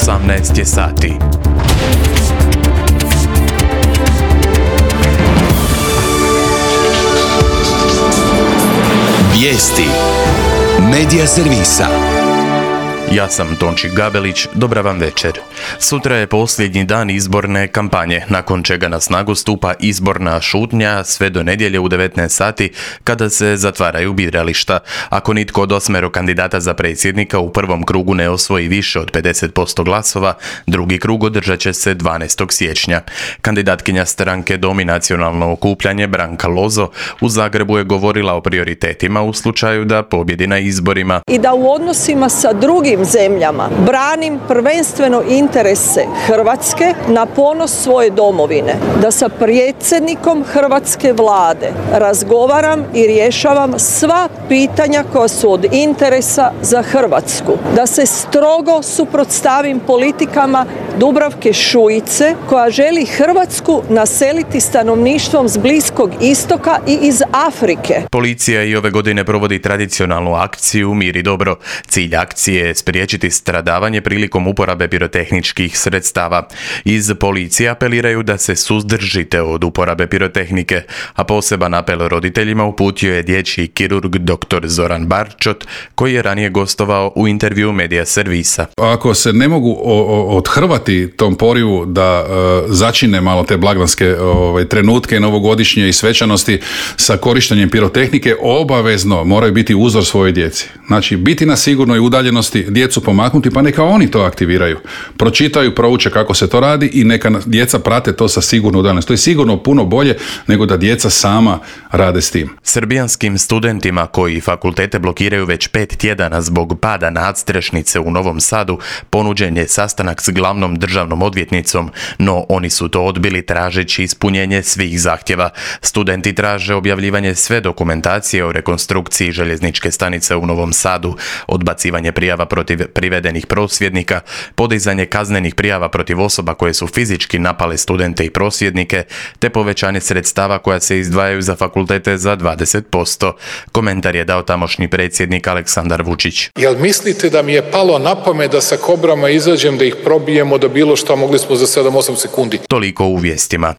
18 je sati. Vijesti Medija servisa. Ja sam Tonči Gabelić, dobra vam večer. Sutra je posljednji dan izborne kampanje, nakon čega na snagu stupa izborna šutnja sve do nedjelje u 19 sati kada se zatvaraju birališta. Ako nitko od 8 kandidata za predsjednika u prvom krugu ne osvoji više od 50% glasova, drugi krug održat će se 12. siječnja. Kandidatkinja stranke Dom i nacionalno okupljanje Branka Lozo u Zagrebu je govorila o prioritetima u slučaju da pobjedi na izborima. I da u odnosima sa drugim zemljama branim prvenstveno interese Hrvatske na ponos svoje domovine, da sa predsjednikom hrvatske vlade razgovaram i rješavam sva pitanja koja su od interesa za Hrvatsku, da se strogo suprotstavim politikama Dubravke Šuice koja želi Hrvatsku naseliti stanovništvom s Bliskog istoka i iz Afrike. Policija i ove godine provodi tradicionalnu akciju Mir i dobro. Cilj akcije je spriječiti stradavanje prilikom uporabe pirotehničkih sredstava. Iz policije apeliraju da se suzdržite od uporabe pirotehnike, a poseban apel roditeljima uputio je dječji kirurg dr. Zoran Barčot, koji je ranije gostovao u intervju Medija servisa. Ako se ne mogu odhrvati tom porivu da začine malo te blagdanske trenutke novogodišnje i svečanosti sa korištenjem pirotehnike, obavezno moraju biti uzor svojoj djeci. Znači, biti na sigurnoj udaljenosti, djecu pomaknuti, pa neka oni to aktiviraju. Pročitaju, prouče kako se to radi i neka djeca prate to sa sigurno udaljenosti. To je sigurno puno bolje nego da djeca sama rade s tim. Srbijanskim studentima koji fakultete blokiraju već 5 tjedana zbog pada nadstrešnice u Novom Sadu ponuđen je sastanak s glavnom državnom odvjetnicom, no oni su to odbili tražeći ispunjenje svih zahtjeva. Studenti traže objavljivanje sve dokumentacije o rekonstrukciji željezničke stanice u Novom Sadu, odbacivanje prijava protiv privedenih prosvjednika, podizanje kaznenih prijava protiv osoba koje su fizički napale studente i prosvjednike, te povećanje sredstava koja se izdvajaju za fakultete za 20%. Komentar je dao tamošnji predsjednik Aleksandar Vučić. Jel mislite da mi je palo na pamet da sa kobrama izađem, da ih probijemo, da bilo što, mogli smo za 7-8 sekundi? Toliko u vijestima.